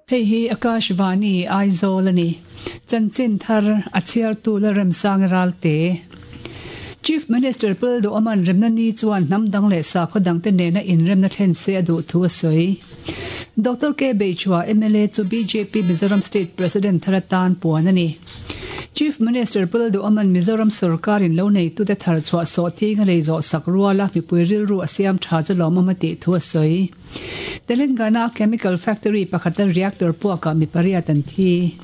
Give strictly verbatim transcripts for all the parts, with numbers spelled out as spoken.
Hei hi Akashvani Aizawl ani. Chanchin thar a chhiartu Lalremsang Ralte. Chief Minister Pu Duhawma'n remna ni chuan hnam dang leh sakhaw dangte nena inremna thlen se a duh thu a sawi. Doctor K Beichhua M L A chu B J P Mizoram State President thar atan puan a ni. Chief Minister Pu Duhawma'n Mizoram sorkarin lo neitute thar chhuah sawh thinga lei zawh sak ruala mipui rilru a siam tha chu lawmawm a tih thu a sawi. Telangana Chemical Factory pakhata reactor puakah mi pariat an thi.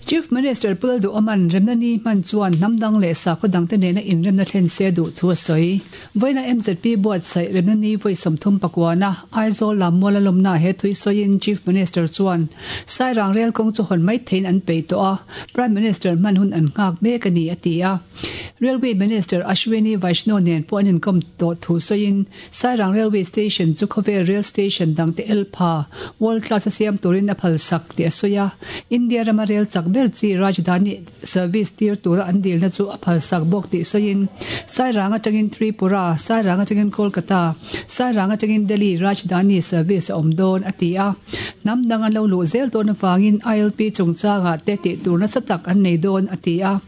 Chief Minister Pu Duhawma'n remna ni hman chuan hnam dang leh sakhaw dangte nena inremna thlen se duh thu a sawi. Vawiina M Z P buatsaih remna ni vawi sawmthum pakuana Aizawl Lammual a lawmna he thui sawiin Chief Minister chuan Sairang rel kawng chu hawn mai theiin an peih tawh a, Prime Minister hman hun an nghak mek a ni a ti a. Railway Minister Ashwini Vaishnaw nen pawh an inkawm tawh thu sawiin Sairang Railway Station chu khawvel rail station dangte elpha world class a siam turin a phalsak tih a sawi a. India rama rail chak ber chi Rajdhani service tir tura an dilna chu a phalsak bawk tih sawiin Sairang atangin Tripura, Sairang atangin Kolkata, Sairang atangin Delhi Rajdhani service a awm dawn a ti a. Hnam dang an lo luh zel dawn avangin I L P chungchangah te tih tur nasa tak an nei dawn a ti a.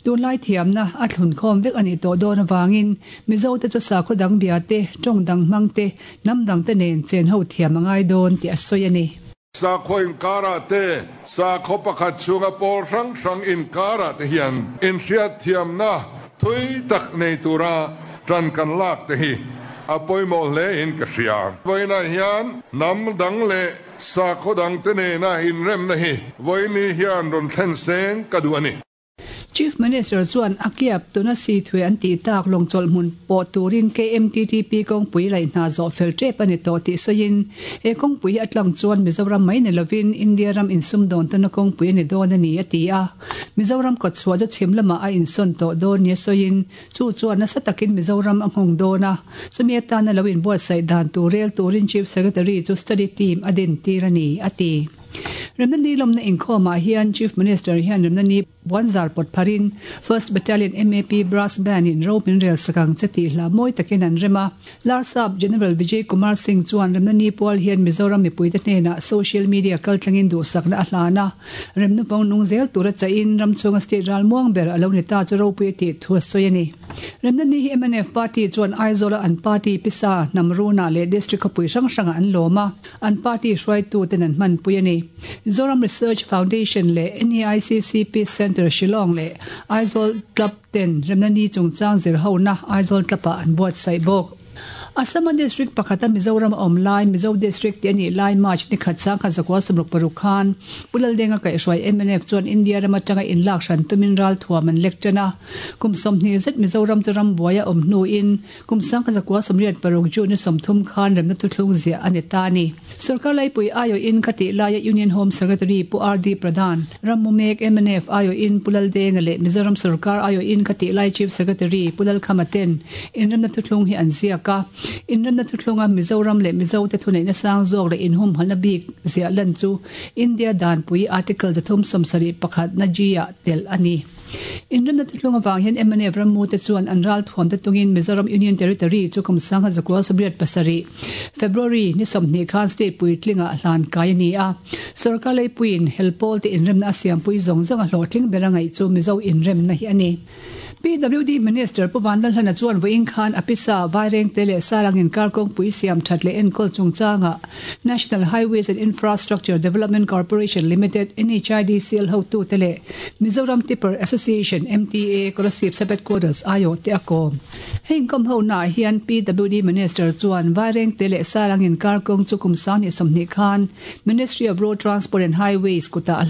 Tunlai thiamna a thlun khawm vek a nih tawh dawn avangin Mizo te chu sakhaw dang bia te, tawng dang hmang te, hnam dang te nen chen ho thiam a ngai dawn tih a sawi a ni. Sakhaw inkara te, sakhaw pakhat chhunga pawl hrang hrang inkara te hian inhriat thiamna thui tak nei tura tan kan lak te hi a pawimawh hle in ka hria. Vawiinah hian hnam dang leh sakhaw dang te nena inremna hi vawiin hian rawn thlen se ka duh a ni. Chief Minister chuan Akyab tuna si thue an ti tak lawngchawlh hmun pawh turin K M T T P kawngpui laih hna zawh fel tep ani tawh tih sawiin he kawngpui hi a tlang chuan Mizoram mai ni lovin India ram insum dawn tana kawngpui ani dawn ani a ti a. Mizoram kawtchhuah chu chhim lamah a insawn tawh dawn ni a sawiin chu chuan nasa takin Mizoram a nghawng dawn a. Chumi atana lo inbuatsaih dan tur rel turin Chief Secretary chu study team a din tir ani a ti. Remna ni lawmna inkhawmah hian Chief Minister hian remna ni puanzar pawt pharin First Battalion M A P Brass Band in ro min rel sakang che tih hla mawi takin an rem a. Larsap General Vijay Kumar Singh chuan remna ni pual hian Mizoram mipuite hnenah social media kaltlangin duhsakna a hlan a. Remna vawng nung zel tura chahin ram chhunga state ral muang ber a lo ni ta chu ropui tih thu a sawi a ni. Remna ni hi M N F party chuan Aizawla an party pisa Hnamruna leh district khawpui hrang hranga an lawm a, an party hruaitu ten an hmanpui a ni. Zoram Research Foundation leh N A I C C P Center Shillong leh Aizawl Club ten remna ni chungchang zir hona Aizawl Club-ah an buatsaih bawk. Assam district pakhata Mizoram awm lai Mizo district te ani lai March ni khat sang kha zakwa sawmruk paruk khan Pu Laldenga kaihhruai M N F chuan India rama tanga inlak hran tumin ral thuam an lek tana. Kum sawmhnih zet Mizoram chu ram buaia awm hnu in kum sang kha zakwa sawmriat paruk June ni sawmthum khan remna thuthlung ziah ani ta ni. Sarkar laipui aio in khati laia Union Home Secretary Pu R D Pradhan, Rammu mek M N F aio in Pu Laldenga leh Mizoram sarkar aio in khati lai Chief Secretary Pu Lalkhama ten inremna thuthlung hi an ziak a. Inremna thuthlunga Mizoram leh Mizo te thuneihna sang zawk leh inhum halna bik ziah lan chu India danpui Article zathum sawmsarih pakhat na G ah tel ani. Inremna thuthlung awang hian M N F rammu te chuan an ral thuam te tungin Mizoram Union Territory chu kum sang kha zakua sawmriat pasarih February ni sawmhnih khan state puitlinga hlan kai ani a. Sarkar leipuiin helpawl te inremna a siampui zawng zawng a hlawhtling ber a ngaih chu Mizo inremna hi ani. P W D Minister Pu Vanlalhlana chuan vawiin khan a pisa Vairengte leh Sairang inkar kawngpui siam that leh enkawl chungchanga National Highways and Infrastructure Development Corporation Limited N H I D C L hotu te leh Mizoram Tipper Association M T A Kolasib Sub Headquarters aio te a kawm. Heng kom ho na hian P W D Minister chuan Vairengte leh Sairang inkar kawng chu kum sang ni sawmhnih khan Ministry of Road Transport and Highways kuta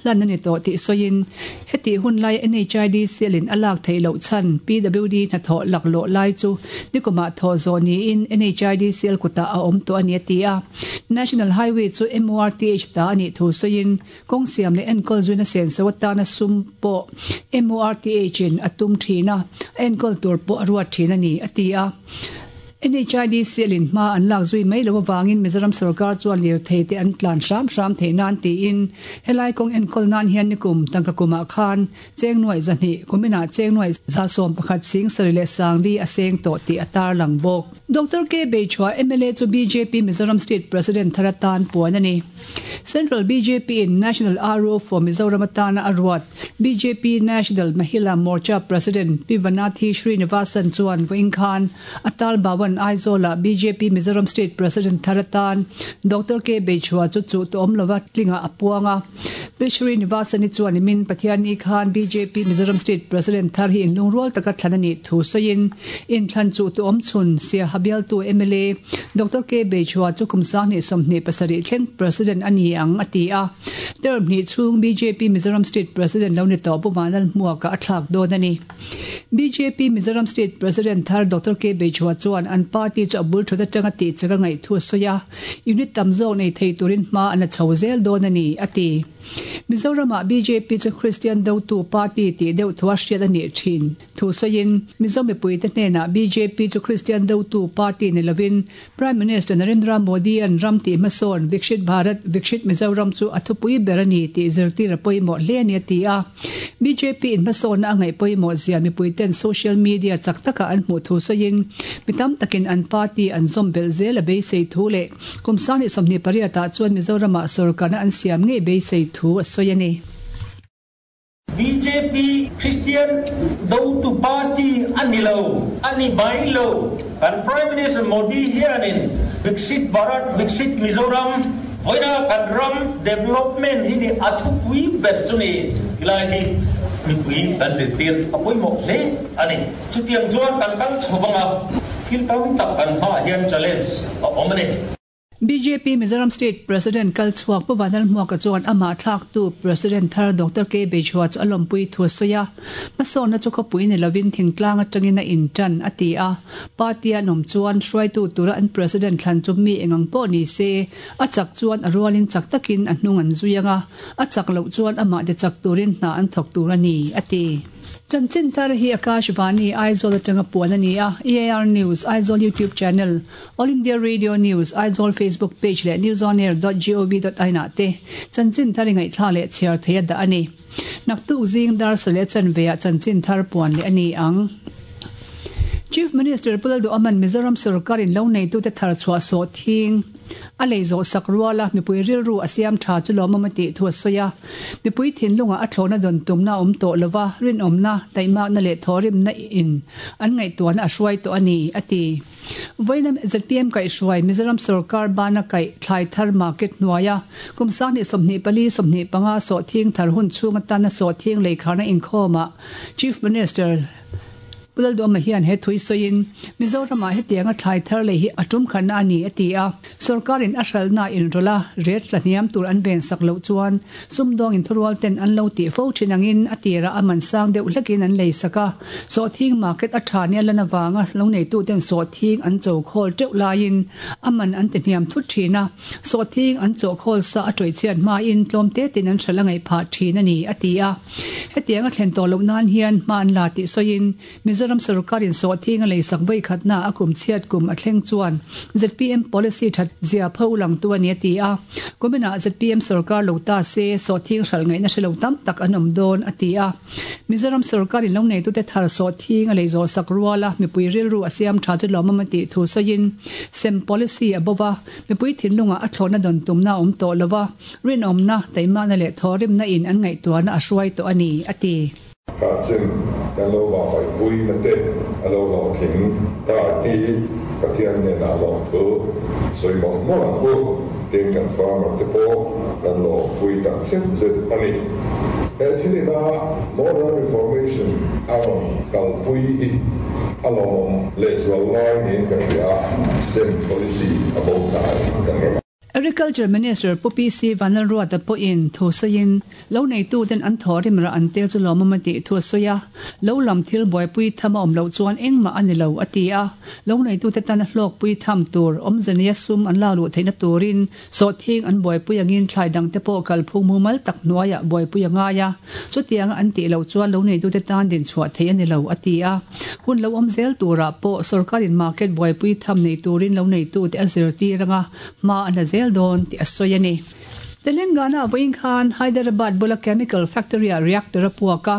hlan ani tawh tih sawiin heti hun lai N H I D C L in a lak theih loh chhan P W D hnathawh laklawh lai chu nikumah thaw zawh niin N H I D C L kuta a awm tawh ani a ti a. National Highway chu M O R T H ta ani thu sawiin kawng siam leh enkawl zuina sen so atana sum pawh M O R T H in a tum thina enkawl tur pawh a ruat thin ani a ti a. N H I D C lin ma an lak zui mai lo wangin Mizoram sarkar chuan lir thei te an tlan hram hram thei nan ti in helai kong en kol nan hian nikum tangka kuma khan cheng nuai zani kumina cheng nuai za som pakhat sing sarile sangli aseng to ti atar lang bok. Doctor K Beichhua M L A chu B J P Mizoram State President tharatan puan ani. Central B J P in National R O for Mizoram atana arwat B J P National Mahila Morcha President P Vanathi Srinivasan chuan voin khan Atal Bhavan Aizola B J P Mizoram State President tharatan Doctor K Beichhua chu chu to omlova tlinga apuanga. P Srinivasan ni chuan min Pathian ni khan B J P Mizoram State President thar hi in lungrual taka thlanani thu soin in thlan chu to om chun sia habial tu M L A Doctor K Beichhua chu kumsang ni somni pasari thleng President ani ang ati a. Term ni chung B J P Mizoram State President lo ni to pu Vanal Muaka athlak don ani. B J P Mizoram State President thar Doctor K Beichhua chuan an party chu abul thuda tanga ti chaka ngai thu soya unit tamzo nei thei turin ma ana chhozel don ani ati. Mizorama B J P chu Christian do tu party ti deuh thua hriat ani thin thu soin Mizo mipui te hnena B J P chu Christian do tu party ni lovin Prime Minister Narendra Modi an ram ti mason Vikshit Bharat Vikshit Mizoram chu athupui berani ti zirti rapoi mo hle ani ti a. B J P in mason na angai poi mo zia mipui ten social media chaktaka an hmu thu soin mitam takin an party an zombel zel a be sei thu le kumsani somni pariata chuan Mizorama sarkana an siam nge be sei thu a soyani. B J P Christian do tu party anilo ani bailo kan Prime Minister Modi hianin Viksit Bharat Viksit Mizoram voina kan ram development hi ni athupui ber chuni ilai hi mipui kan zirtir apoi mo hle ani. Chutiang chuan kan kal chhobanga thil tam tak kan ha hian challenge a awm ani. B J P Mizoram State President Kalchuak Pawanal Muaka chuan ama thlak tu President thar Doctor K Beichhua chu alompui thu soya masona chu khopui ni lovin thingtlang atangin a in tan ati a. Party anom chuan hruai tu tura an president thlan chu mi engang po ni se a chak chuan a rualin chak takin a hnung an zuyanga a chak lo chuan ama de chak turin hna an thok tur ani ati. Chanchin thar hi Akashvani Aizawl atanga puan ani a. A I R News Aizawl YouTube channel, All India Radio News Aizawl Facebook page le newsonair dot gov dot in te chanchin thar ngai thla le chhiar theia da ani. Naktuk zing dar sale chan veya chanchin thar puan le ani ang. Chief Minister Pulaldu Aman Mizoram sarkarin lo nei tu te thar chhuwa so thing a lei zo sak ruala mipui rilru asiam tha chu lawm amati thu soya mipui thin lunga a thlona don tumna om to lova rin omna taima na le thorim na in an ngai tuan a hruai to ani ati. Voinam Z P M kai hruai Mizoram sarkar bana kai thlai thar market nuaya kumsa ni somni pali somni panga so thing thar hun chunga tan na so thing lei kharna inkhoma Chief Minister Pulal do ma hian he thui soin Mizoram a hetianga thlai thar le hi atum khan ani ati a. Sarkarin a hral na in rola ret la hniam tur an ven sak lo chuan sumdong in thurual ten an lo ti fo thinangin atira aman sang deuh hlekin an lei saka so thing market a tha ni lana wanga lo nei tu ten so thing an cho khol teuh lain aman an ti hniam thut thina so thing an cho khol sa a toi chian ma in tlom te tin an thala ngai pha thin ani ati a. Hetianga thlen to lo nan hian man la ti soin Mizoram sarkarin so thing lei sak vai khatna akum chiat kum a thleng chuan Z P M policy that zia pho lang tu ani ti a. Kumina Z P M sarkar lo ta se so thing hral ngai na shelo tam tak anom don ati a. Mizoram sarkarin lo nei tu te thar so thing lei zo sak ruala mipui ril ru asiam tha chu lomama ti thu soin sem policy abowa mipui thinlunga a thlona don tumna om to lowa rin omna taima na le thorim na in an ngai tuana a hruai to ani ati. Ka chen kan lo wa pai pui na te a lo lo thing ta hi Pathian ne na lo thu soi mo mo ang u tin kan farmer te po kan lo pui tak set zet ani. E thini na moral reformation aron kal pui i alom le zwal lai in ka ria sem policy about ta kan ram. Agriculture Minister Pu P C Vanlalruata pawhin thu sawiin lo neitu ten an thaw rim rah an tel chu lawmawm a tih thu a sawi a, lo lam thil buaipui tham a awm loh chuan engmah a ni lo a ti a, lo neitu te tan a hlawkpui tham tur awmzania sum an lak luh theihna turin sawhthing an buaipui angin thlai dang te pawh kalphung mumal tak hnuaiah buaipui a ngai a, chutianga an tih loh chuan lo neitu te tan din chhuah theih a ni lo a ti a, hun lo awm zel turah pawh sorkarin market buaipui tham nei turin lo neitu te a zirtir anga hma an la zel dawn tih a sawi a ni. Telangana vawiin khan Hyderabad bula chemical factory ah reactor a puak a,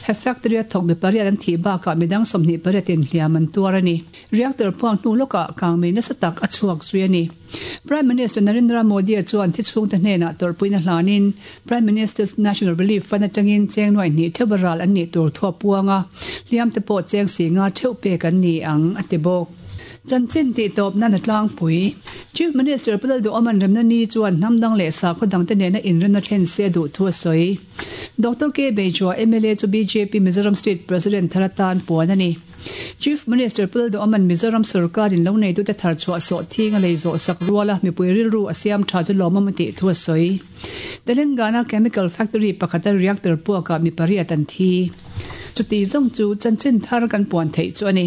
he factory a thawk mi pariat an thih bakah midang sawmhnih pariat in hliam an tuar a ni. Reactor puak hnu lawkah kangmei nasa tak a chhuak zui a ni. Prime Minister Narendra Modi chuan thi chhungte hnenah tawrhpuina hlanin Prime Minister's National Relief Fund atangin cheng nuai hnih theuh ral an nih tur thu a puang a, hliam te pawh cheng si nga theuh pek an ni ang a ti bawk. Chanchin tih tawp nan a tlangpui. Chief Minister Pu Lalduhawman remna ni chuan hnam dang leh sakhaw dangte nena inremna thlen se a duh thu a sawi. Doctor K Beijua M L A chu B J P Mizoram State President thar atan puan a ni. Chief Minister Pu Lalduhawman Mizoram sarkarin lo neitute thar chhuah sawh thing a lei zawh sak ruala mipui rilru a siam tha chu lawmawm a tih thu a sawi. Telangana Chemical Factory pakhata reactor puakah mi pariat an thi. Chuti zawng chu chanchin thar kan puan theih chu a ni.